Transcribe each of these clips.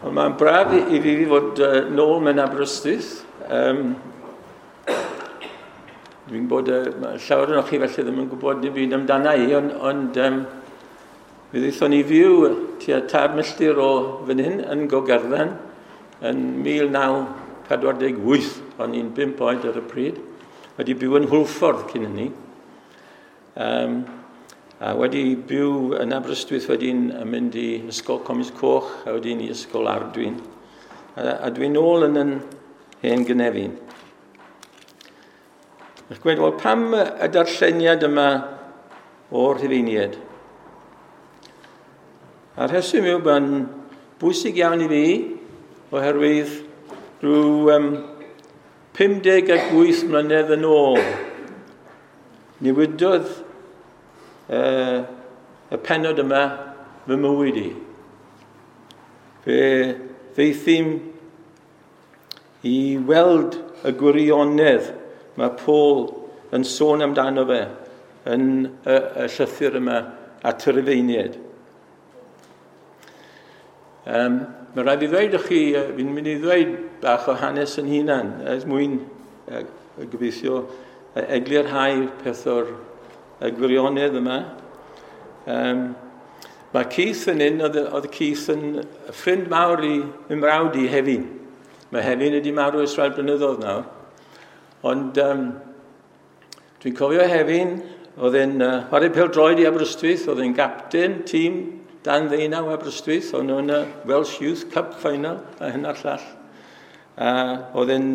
Ond mae'n braf i fi fod nôl mewn Aberystwyth. Dwi'n bod llawer o'n chi felly ddim yn gwybod dim byd amdana i, ond mi ddaethon ni fyw tua 3 milltir o fan hyn yn Gogerddan yn 1948. O'n i'n 5 oed ar y pryd. Wedi byw yn Hwlffordd cyn hynny. A wedi byw yn Aberystwyth wedyn yn mynd i Ysgol Comis Coch a wedyn i Ysgol Ardwyn. A dwi'n nôl yn yn hen gynefin. Ych gweud, wel, pam y darlleniad yma o'r Rhufeiniaid? A'r rheswm yw bod yn bwysig iawn i fi, oherwydd rhyw 58 mlynedd yn ôl, newidodd y pennod yma fy mywyd i. Fe ddeithim i weld y gwirionedd mae Paul yn sôn amdano fe yn y llythyr yma at y Rhufeiniaid. Mae rhaid i ddweud chi, fi'n mynd i ddweud bach o hanes yn hunan, er mwyn gobeithio eglurhau peth o'r gwirionedd yma. Mae Keith yn un, oedd Keith yn ffrind mawr i ymrawd i Hefin. Mae Hefin wedi marw ers rhai blynyddoedd nawr. Ond dwi'n cofio Hefin, oedd e'n chwarae pêl-droed i Aberystwyth, oedd e'n gapten tîm dan 19 Aberystwyth, o'n nhw'n y Welsh Youth Cup Final a hyn a'r llall. A oedd e'n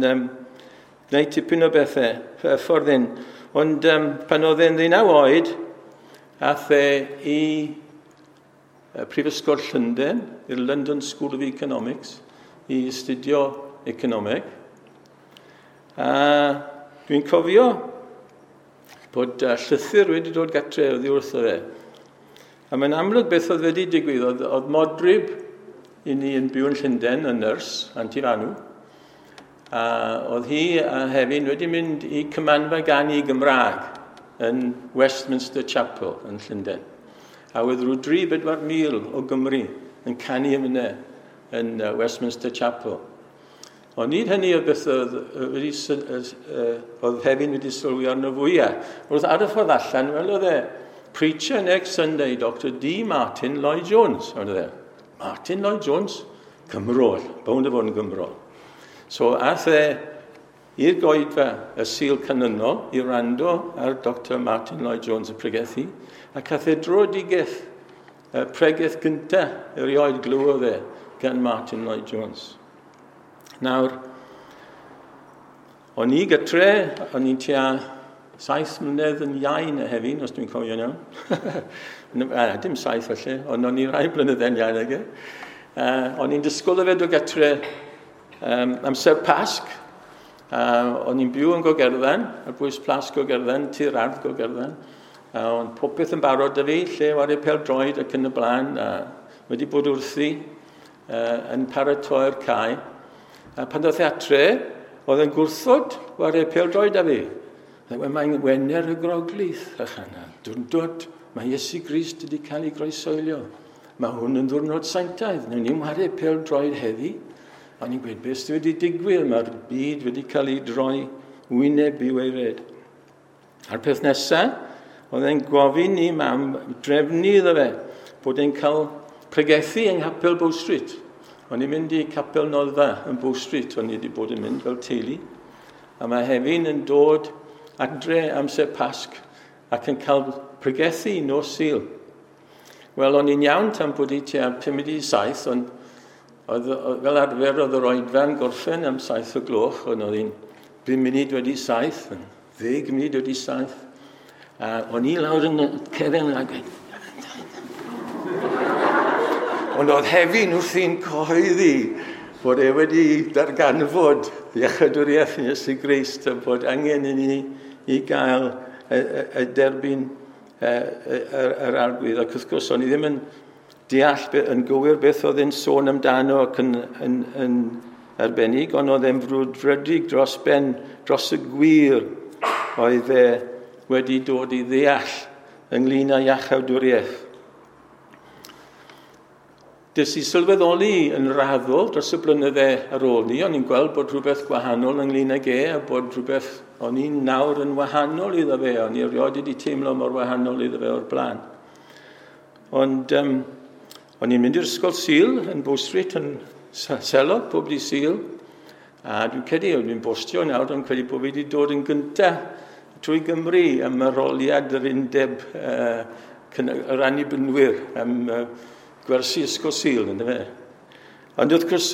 gwneud tipyn o bethau, ffordd hyn. Ond pan oedd e'n 19 oed, ath e i Prifysgol Llundain, i'r London School of Economics, i astudio economeg. A dwi'n cofio bod llythyr wedi dod gatre oddi wrtho fe. A mae'n amlwg beth oedd wedi digwydd. Oedd modryb i ni yn byw yn Llundain, yn nyrs, Anti Fanw. A oedd hi a Hefin wedi mynd i cymanfa ganu Gymraeg yn Westminster Chapel yn Llundain. A oedd rhyw 3-4 mil o Gymru yn canu yma yn Westminster Chapel. Ond nid hynny oedd beth oedd Hefin wedi sylwi arno fwyaf. Wrth ar y ffordd allan, wel oedd e, preacher next Sunday, Dr D. Martin Lloyd Jones. Oedd e, Martin Lloyd Jones, Cymro, bownd o fod yn Gymro. So ath e i'r goedfa y Sul canlynol i wrando ar Dr Martin Lloyd Jones y pregethu, ac ath e dröedigaeth y pregeth gyntaf erioed glywodd e gan Martin Lloyd Jones. Nawr, o'n i gytre, o'n i'n tua 7 mlynedd yn iau na Hefin, os dwi'n cofio'n iawn. Dim 7 felly, ond o'n i rai blynydde'n iau nag e. O'n i'n disgwyl o fe dod gytre amser Pasg. O'n i'n byw yn Gogerddan, ar bwys Plas Gogerddan, tir ardd Gogerddan. Ond popeth yn barod da fi, lle wario pêl-droed ac yn y blaen. Wedi bod wrthi yn paratoi'r cae. A pan ddoth e atre, oedd yn gwrthod wario pêl-droed â fi. Mae'n Wener y Groglith, a chana. Dwndod, mae Iesu Grist wedi cael ei groesoelio. Mae hwn yn ddiwrnod sanctaidd. Newn ni'n wario pêl-droed heddi. O'n i'n gweud, beth sydd wedi digwydd? Mae'r byd wedi cael ei droi wyneb i waered. A'r peth nesaf, oedd e'n gofyn i mam drefnu iddo fe bod e'n cael pregethu yng Nghapel Bow Street. O'n i'n mynd i Capel Noddfa yn Bow Street, o'n i wedi bod yn mynd fel teulu. A mae Hefin yn dod adre amser Pasg ac yn cael pregethu nos Sul. Wel, o'n i'n iawn tan bod i tua 6:55, ond oedd, fel arfer oedd yr oedfa'n gorffen am 7 o gloch, ond oedd hi'n 7:05, 7:50. A o'n i lawr yn y cefen a gweud. Ond oedd Hefin wrthi'n cyhoeddi bod e wedi darganfod iechydwriaeth Iesu Grist a bod angen i ni i gael y derbyn yr arglwydd. Ac wrth gwrs, o'n i ddim yn deall yn gywir beth oedd e'n sôn amdano ac yn arbennig, ond oedd e'n frwdfrydig dros ben, dros y gwir oedd e wedi dod i ddeall ynglyn â iachawdwriaeth. Des i sylweddoli yn raddol dros y blynydde ar ôl ni, o'n i'n gweld bod rhywbeth gwahanol ynglyn ag e, a bod rhywbeth o'n i'n nawr yn wahanol iddo fe, o'n i erioed wedi teimlo mor wahanol iddo fe o'r blaen. Ond o'n i'n mynd i'r ysgol Sul yn Bow Street yn Selog, pob dydd Sul, a dwi'n credu, o'n i'n bostio nawr, o'n credu bod fi wedi dod yn gyntaf trwy Gymru am arholiad yr undeb yr annibynwyr am gwersi ysgol Sul, ynddo fe. Ond wrth gwrs,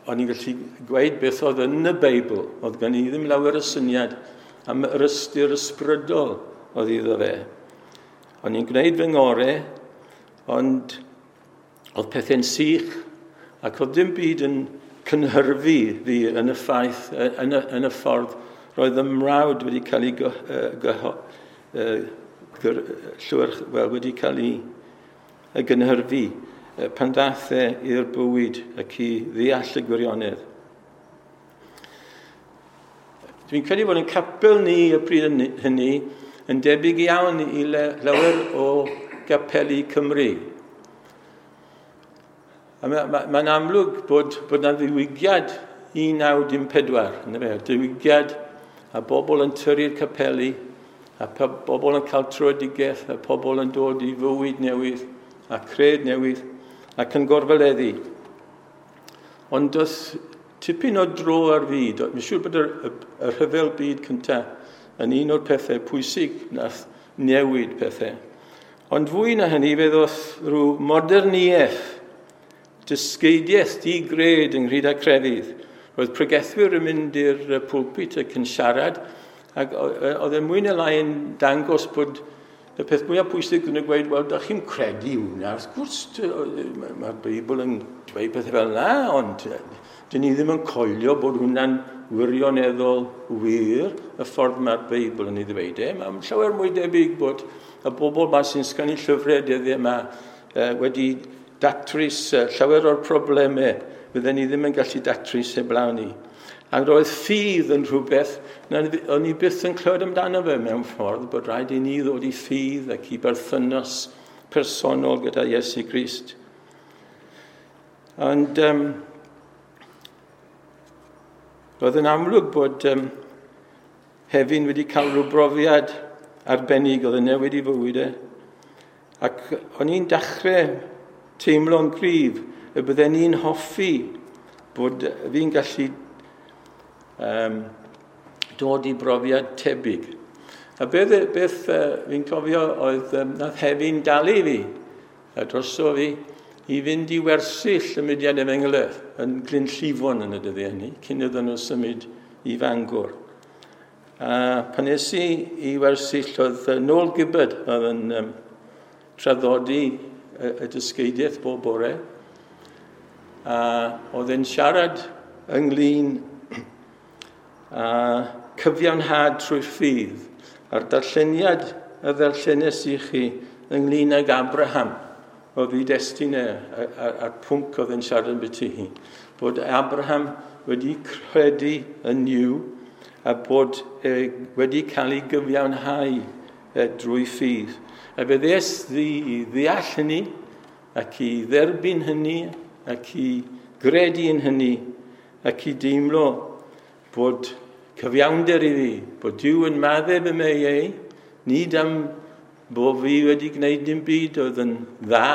o'n i'n gallu gweud beth oedd yn y Beibl. Oedd gen i ddim lawer o syniad am yr ystyr ysbrydol oedd iddo fe. O'n i'n gwneud fy ngorau, ond oedd pethau'n sych, ac oedd dim byd yn cynhyrfu fi yn y ffaith, yn y ffordd roedd y mrawd wedi cael ei wedi cael ei gynhyrfu pan ddaeth e i'r bywyd ac i ddeall y gwirionedd. Dwi'n credu bod yn capel ni y pryd hynny yn debyg iawn i lawer o gapeli Cymru. A mae'n amlwg bod yna ddiwygiad 1914, yna fe, diwygiad a bobl yn tyrru'r capeli, a bobl yn cael tröedigaeth, a pobl yn dod i fywyd newydd, a cred newydd, ac yn gorfoleddu. Ond does tipyn o dro ar fyd. Mae'n siŵr bod y rhyfel byd cyntaf yn un o'r pethau pwysig nath newid pethau. Ond fwy na hynny, fe ddoth rhyw moderniaeth, dysgeidiaeth di-gred ynghyd â crefydd. Roedd pregethwyr yn mynd i'r pulpit ac yn siarad, ac oedd e mwy na lai yn dangos bod y peth mwyaf pwysig yn y gweud, wel, da chi'n credu hwnna, wrth gwrs, mae'r Beibl yn dweud pethau fel yna, ond dyn ni ddim yn coelio bod hwnna'n wirioneddol wir, y ffordd mae'r Beibl yn ei ddweud e. Mae'n llawer mwy debyg bod y bobl yma sy'n sgwennu llyfrau dyddiau yma wedi datrys llawer o'r problemau fydden ni ddim yn gallu datrys heblaw ni. A roedd ffydd yn rhywbeth o'n i byth yn clywed amdano fe mewn ffordd, bod rhaid i ni ddod i ffydd ac i berthynas personol gyda Iesu Grist. Ond roedd yn amlwg bod Hefin wedi cael rhyw brofiad arbennig oedd yn newid i fywyd e. Ac o'n i'n dechrau teimlo'n gryf y bydden ni'n hoffi bod fi'n gallu dod i brofiad tebyg. A beth fi'n cofio oedd nath Hefin dalu fi, a droso fi, i fynd i wersyll y mudiad efengylaidd yn Glynllifon yn y dyddiau hynny, cyn iddyn nhw symud i Fangor. A pan es i i wersyll oedd Noel Gibbard oedd yn traddodi y dysgeidiaeth bob bore, a oedd e'n siarad ynglyn a cyfiawnhad trwy ffydd, a'r darlleniad y ddarllenes i chi ynglyn ag Abraham, oedd ei destun e, a'r pwnc oedd yn siarad ambiti hi, bod Abraham wedi credu yn Nuw a bod wedi cael ei gyfiawnhau drwy ffydd. A fe ddes i ddeall hynny, ac i dderbyn hynny, ac i gredu yn hynny, ac i deimlo bod cyfiawnder i fi, bod Duw yn maddau fy meiau, nid am bod fi wedi gwneud dim byd oedd yn dda,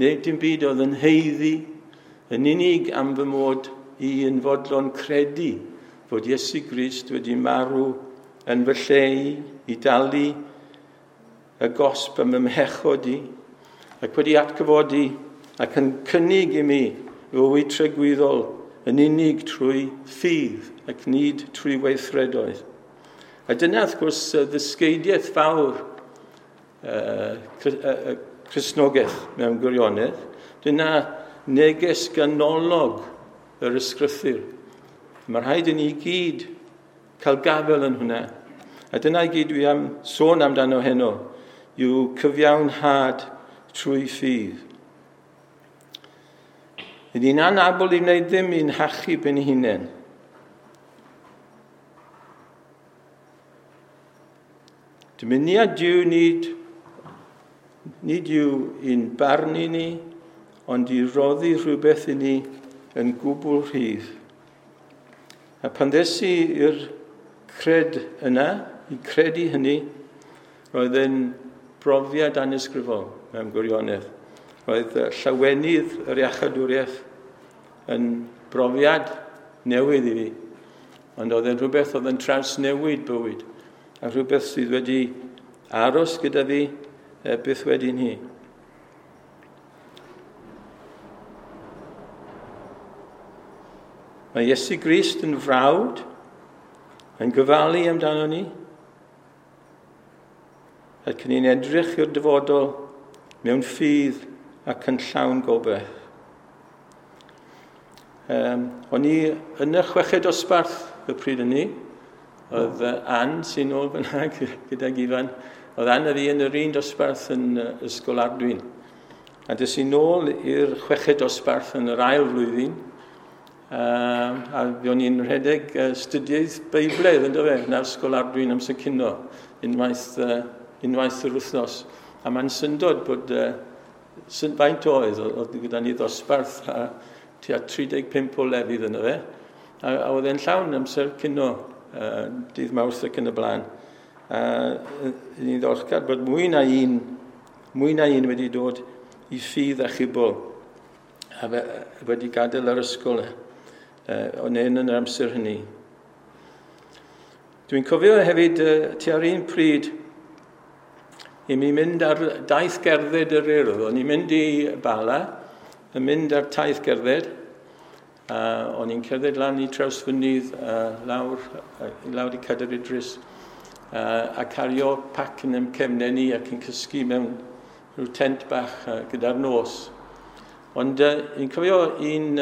neu dim byd oedd yn haeddu, yn unig am fy mod i yn fodlon credu fod Iesu Grist wedi marw yn fy lle i dalu y gosb am fy mhechod i, ac wedi atgyfodi ac yn cynnig i mi fywyd tragwyddol yn unig trwy ffydd ac nid trwy weithredoedd. A dyna, wrth gwrs, ddysgeidiaeth fawr Cristnogaeth mewn gwirionedd. Dyna neges ganolog yr ysgrythur. Mae rhaid i ni gyd cael gafael yn hwnna. A dyna i gyd dwi am sôn amdano heno, yw cyfiawnhad trwy ffydd. Ydy ni'n anabl i wneud ddim i'n hachub ein hunain. Dymuniad Duw nid yw i'n barnu ni, ond i roddi rhywbeth i ni yn gwbl rhydd. A pan ddes i i'r cred yna, i credu hynny, roedd yn brofiad anysgrifol mewn gwirionedd. Roedd llawenydd yr iachadwriaeth yn brofiad newydd i fi. Ond oedd e'n rhywbeth oedd yn trawsnewid bywyd, a rhywbeth sydd wedi aros gyda fi byth wedyn hi. Mae Iesu Grist yn frawd, yn gyfalu amdano ni, ac ni'n edrych i'r dyfodol mewn ffydd ac yn llawn gobaith. O'n i yn y chweched dosbarth y pryd hynny, oedd Ann sy'n ôl fyna gydag Ifan, oedd Ann a fi yn yr un dosbarth yn Ysgol Ardwyn. A des i nôl i'r chweched dosbarth yn yr ail flwyddyn, a o'n i'n rhedeg astudiaeth Beiblaidd, ynddo fe, yn Ysgol Ardwyn amser cino, unwaith yr wythnos. A mae'n syndod bod faint oedd gyda ni ddosbarth a tua 35 o lefydd yno fe. A oedd e'n llawn amser cino, dydd Mawrth ac yn y blaen. A ni'n ddiolchgar bod mwy na un wedi dod i ffydd a chibol a wedi gadael yr ysgol o'n un yn yr amser hynny. Dwi'n cofio hefyd tua'r un pryd i mi mynd ar daith gerdded yr Urdd. O'n i'n mynd i Bala, yn mynd ar taith gerdded. O'n i'n cerdded lan i Trawsfynydd, lawr i Cadair Idris, a cario pac yn cefnau ni ac yn cysgu mewn rhyw tent bach gyda'r nos. Ond i'n cofio un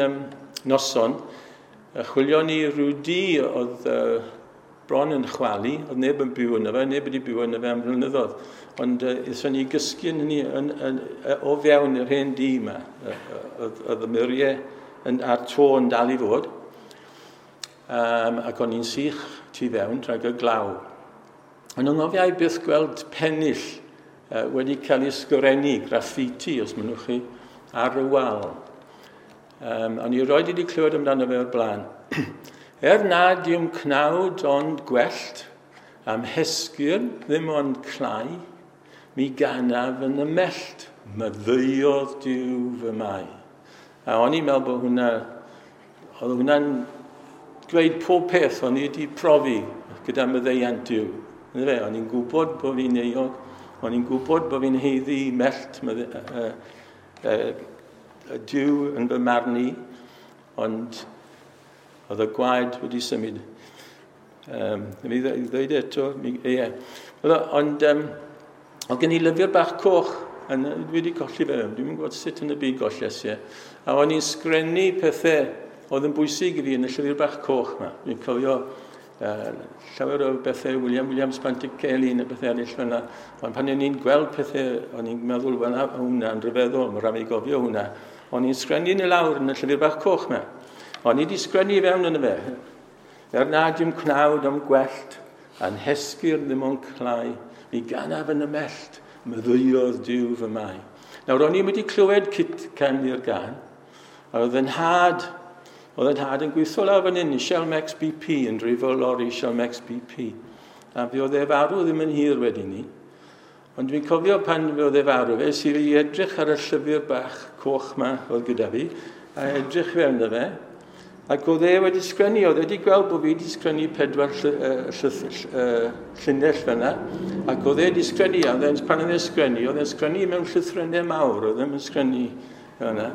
noson, chwilio ni rhyw dŷ oedd bron yn chwalu, oedd neb yn byw yno fe, neb wedi byw yno fe am flynyddoedd. Ond aethon ni gysgu yn hynny o fewn yr hen dŷ yma. Oedd y muriau a'r to yn dal i fod. Ac o'n i'n sych tu fewn rhag y glaw. Ond yng nghofiau byth gweld pennill wedi cael ei sgrennu, graffiti, os mynnwch chi, ar y wal. O'n i roed wedi clywed amdano fe o'r blaen. Er nad yw'n cnawd ond gwellt, am hesgyrn ddim ond clai, mi ganaf yn y mellt, maddeuodd Duw fy mai. A o'n i'n meddwl bod hwnna, oedd hwnna'n dweud pob peth o'n i wedi profi gyda maddeuant Duw. O'n i'n gwybod bod fi'n euog, o'n i'n gwybod bod fi'n haeddu mellt Duw yn fy marn i, ond oedd y gwaed wedi symud. Mi ddweud eto, ie. Ond oedd gen i lyfr bach coch, a dwi wedi colli fe, dwi'n gwybod sut yn y byd golles i. A o'n i'n sgrennu pethau oedd yn bwysig i fi yn y llyfr bach coch yma. Dwi'n cofio llawer o bethau William Williams Pantycelyn a bethau eraill fyna. Ond pan o'n i'n gweld pethau, o'n i'n meddwl, wel, hwnna'n rhyfeddol, mae rhaid i gofio hwnna. O'n i'n sgrennu yn y lawr yn y llyfr bach coch yma. O'n i wedi sgrennu i fewn yn y fe. Er nad yw'n cnawd am gwellt, a'n hesgyrn ddim ond clai, mi ganaf yn y mellt, maddeuodd Duw fy mai. Nawr, o'n i wedi clywed cytgan i'r gan, a oedd yn nhad yn gweithio lawr fan hyn i Shell Max BP, yn dreifo lori Shell Max BP. A fe oedd e farw ddim yn hir wedyn ni. Ond dwi'n cofio pan fe oedd e farw, fe sydd i edrych ar y llyfr bach coch ma oedd gyda fi, a edrych fewn iddo fe, ac oedd e wedi sgrennu, oedd e wedi gweld bod fi wedi sgrennu 4 llinell fyna, ac oedd e wedi sgrennu, a pan oedd e'n sgrennu, oedd e'n sgrennu mewn llythrennau mawr, oedd e'n sgrennu fyna.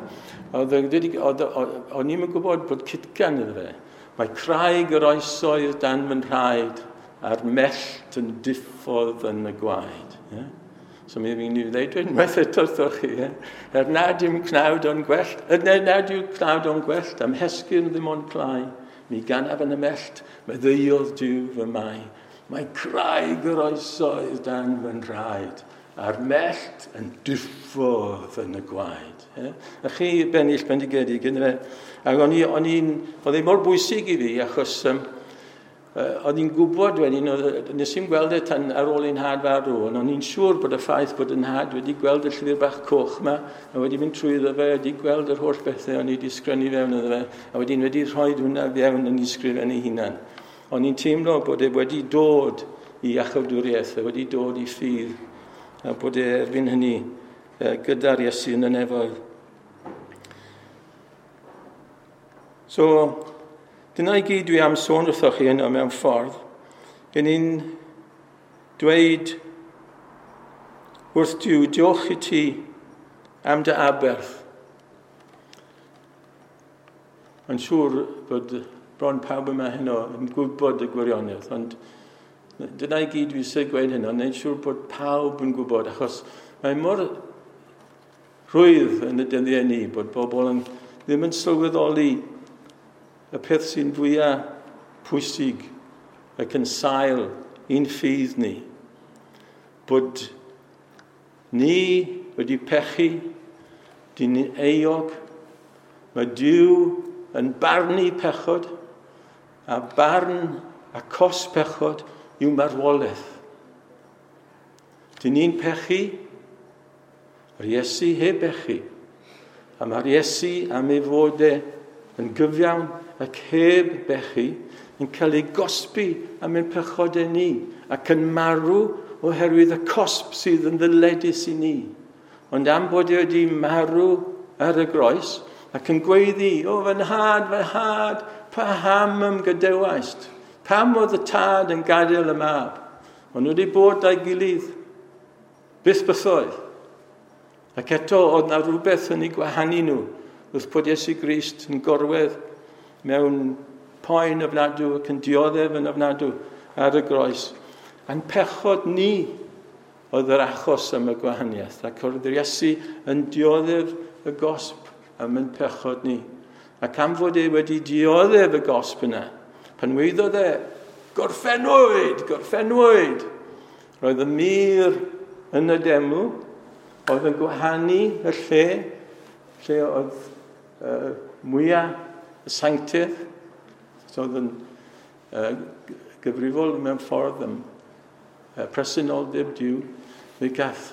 O'n i'm yn gwybod bod cytgan iddo fe. Mae craig yr oesoedd dan fy nhraed, a'r mellt yn diffodd yn y gwaed. Yeah? So mi fi'n dweud unwaith eto wrthoch chi. Yeah? Er nad yw'n cnawd o'n gwellt, nad yw cnawd o'n gwellt, am hesgyrn ddim ond clai, mi ganaf yn y mellt, maddeuodd Duw fy mai. Mae craig yr oesoedd dan fy nhraed, a'r mellt yn diffodd yn y gwaed. Yeah? A chi bennill bendigedig, ynddo fe? Ac oedd e mor bwysig i fi, achos Oedd hi'n gwybod wedyn, nes i'n gweld e tan ar ôl i'n nhad farw, ond o'n i'n siŵr bod y ffaith bod yn nhad wedi gweld y llyfr bach coch yma, a wedi mynd trwyddo fe, wedi gweld yr holl bethau o'n i wedi sgrennu fewn iddo fe, a wedyn wedi rhoi hwnna fewn yn ei sgrifennu hunan. O'n i'n teimlo bod e wedi dod i iachawdwriaeth, e wedi dod i ffydd, a bod e erbyn hynny gyda'r Iesu yn y nefoedd. So, dyna i gyd dwi am sôn wrthoch chi heno mewn ffordd. Yn ni'n dweud wrth Duw, diolch i ti am dy aberth. Mae'n siŵr bod bron pawb yma heno yn gwybod y gwirionedd, ond dyna i gyd dwi eisiau gweud heno, wneud siŵr bod pawb yn gwybod, achos mae mor rhwydd yn y dyddiau ni bod bobl yn, ddim yn sylweddoli y peth sy'n fwyaf pwysig ac yn sail i'n ffydd ni. Bod ni wedi pechu, dyn ni euog, mae Duw yn barnu pechod, a barn a cos pechod yw marwolaeth. Dyn ni'n pechu, yr Iesu heb bechu, a mae'r Iesu am ei fod e yn gyfiawn ac heb bechu, yn cael ei gosbi am ein pechodau ni ac yn marw oherwydd y cosb sydd yn ddyledus i ni. Ond am bod e wedi marw ar y groes ac yn gweiddi, o fy nhad, paham ymgydewaist? Pam oedd y tad yn gadael y mab? Ond nhw wedi bod â'i gilydd byth bythoedd. Ac eto oedd na rhywbeth yn ei gwahanu nhw wrth bod Iesu Grist yn gorwedd mewn poen ofnadw ac yn dioddef yn ofnadw ar y groes. A'n pechod ni oedd yr achos am y gwahaniaeth. Ac oedd yr Iesu yn dioddef y gosb am ein pechod ni. Ac am fod e wedi dioddef y gosb yna, pan weiddodd e, gorffennwyd, gorffennwyd. Roedd y mur yn y deml, oedd yn gwahanu y lle, lle oedd mwyaf y sanctaidd, so oedd yn gyfrifol mewn ffordd am presenoldeb Duw, fe gath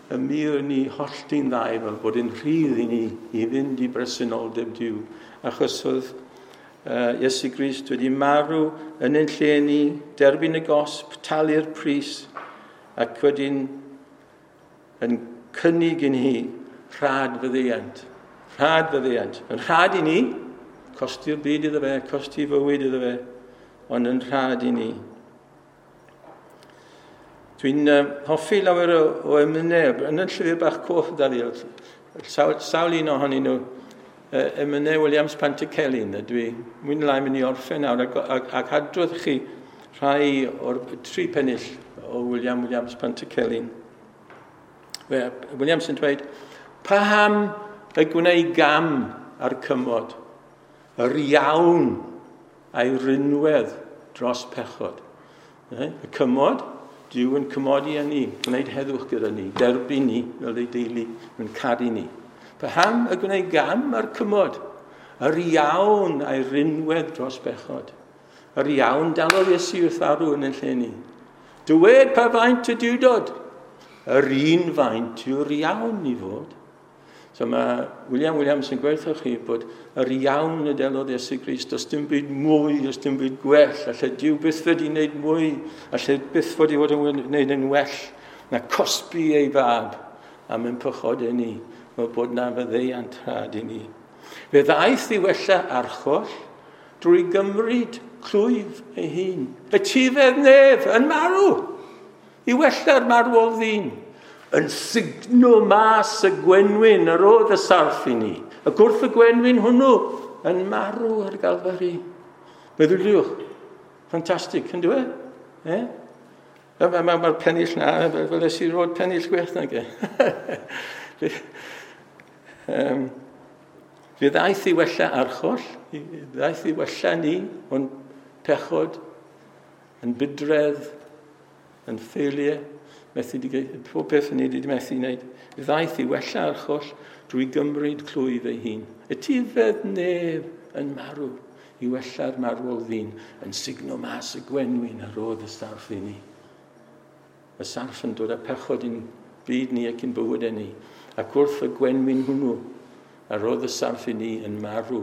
y mur ni hollti'n ddau fel bod yn rhydd i ni i fynd i bresenoldeb Duw. Achos oedd Iesu Grist wedi marw yn ein lle ni, derbyn y gosb, talu'r pris, ac wedyn yn cynnig i ni rhad fyddiant. Rhad fyddiant. Yn rhad i ni, costi'r byd iddo fe, costi fywyd iddo fe, ond yn rhad i ni. Dwi'n hoffi lawer o emynau, yn y llyfr bach coch da fi, sawl un ohonyn nhw, emynau Williams Pantycelyn, a dwi mwy neu lai mynd i orffen nawr, ac adrodd chi rhai o'r tri pennill o William Williams Pantycelyn. Williams yn dweud, paham y gwneud gam ar cymod, yr iawn a'i rinwedd dros pechod. Y cymod, Duw yn cymodi â ni, gwneud heddwch gyda ni, derbyn ni fel ei deulu, yn caru ni. Paham y gwneud gam ar cymod, yr iawn a'i rinwedd dros bechod. Yr iawn dalodd Iesu wrth arw yn ein lle ni. Dywed pa faint y diwdod, yr un faint yw'r iawn i fod. So mae William Williams yn gweud wrthych chi bod yr iawn y delodd Iesu Grist, does dim byd mwy, does dim byd gwell, alle Duw byth wedi wneud mwy, alle byth wedi fod yn wneud yn well na cosbi ei fab am ein pechodau ni, fel bod na faddeuant rhad i ni. Fe ddaeth i wella archoll drwy gymryd clwyf ei hun. Y tifedd nef yn marw i wella'r marwol ddyn. Yn sugno mas y gwenwyn yr oedd y sarff i ni. Ac wrth y gwenwyn hwnnw yn marw ar Galfari. Meddyliwch, ffantastig, yn dwi? E? Mae'r pennill na, fel es i roed pennill gwell nag e. Fe ddaeth i wella archoll, ddaeth i wella ni, ond pechod, yn bydredd, yn ffeiliau, methu pob peth ni wedi methu wneud. Fe ddaeth i wella archoll drwy gymryd clwyf ei hun. Y tifedd nef yn marw i wella'r marwol ddyn yn sugno mas y gwenwyn a rodd y sarff i ni. Y sarff yn dod â pechod i'n byd ni ac i'n bywydau ni. Ac wrth y gwenwyn hwnnw, a rodd y sarff i ni yn marw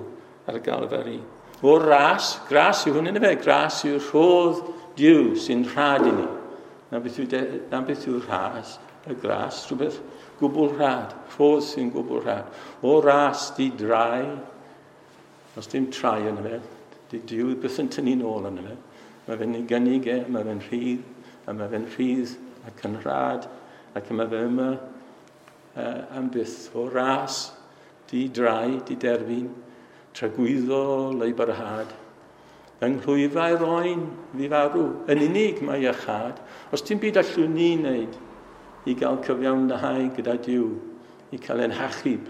ar Galfari. O ras, gras yw hwn yn efe, gras yw'r rhodd Duw sy'n rhad i ni. Na beth yw, na beth yw'r rhas, y gras, rhywbeth gwbl rhad, rhodd sy'n gwbl rhad. O ras di drai, os dim trai yn efe, di Duw byth yn tynnu nôl yn efe. Mae fe'n ei gynnig e, mae fe'n rhydd, a mae fe'n rhydd ac yn rhad, ac mae fe yma am byth. O ras di drai, di derfyn, tragwyddol ei barhad. Yng nghlwyfau'r oen fi farw, yn unig mae iachâd. Os ti'n byd allwn ni wneud i gael cyfiawnhau gyda Duw, i cael ein hachub.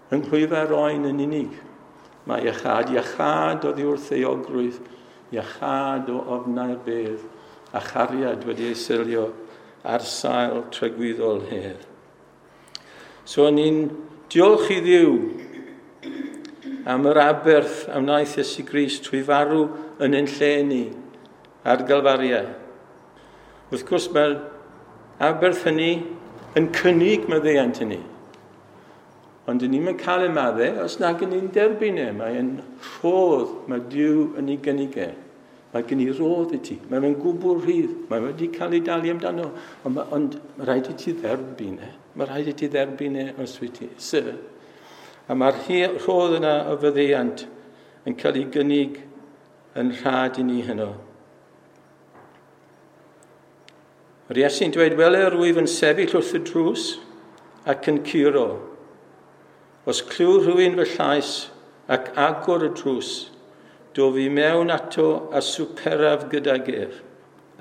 Yng nghlwyfau'r oen yn unig mae iachâd. Iachâd oddi wrth euogrwydd, iachâd o ofnau'r bedd, a chariad wedi ei selio ar sail tragwyddol hedd. So ni'n diolch i Dduw am yr aberth a wnaeth Iesu Grist trwy farw yn ein lle ni ar Galfaria. Wrth gwrs mae'r aberth hynny yn cynnig maddeuant i ni. Ond dyn ni'n cael ei maddau os nag yn ni'n derbyn e. Mae'n rhodd, mae Duw yn ei gynnig e. Mae gen i rodd i ti. Mae fe'n gwbl rhydd. Mae wedi cael ei dalu amdano. Ond, ond mae rhaid i ti dderbyn e. Mae rhaid i ti dderbyn e os wyt ti. Sir. A mae'r rhodd yna o faddeuant yn cael ei gynnig yn rhad i ni heno. Mae'r Iesu'n dweud, wele yr wyf yn sefyll wrth y drws ac yn curo. Os clyw rhywun fy llais ac agor y drws, dof i mewn ato a swperaf gydag ef,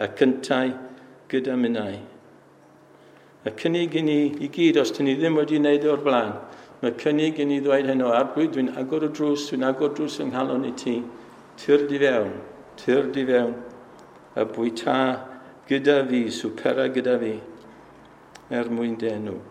a cyntau gyda minnau. Y cynnig i ni i gyd, os dyn ni ddim wedi wneud o'r blaen, mae cynnig i ni ddweud heno, Arglwydd, dwi'n agor y drws, dwi'n agor drws yng nghalon i ti, tyrd i fewn, tyrd i fewn, a bwyta gyda fi, swpera gyda fi, er mwyn dy enw.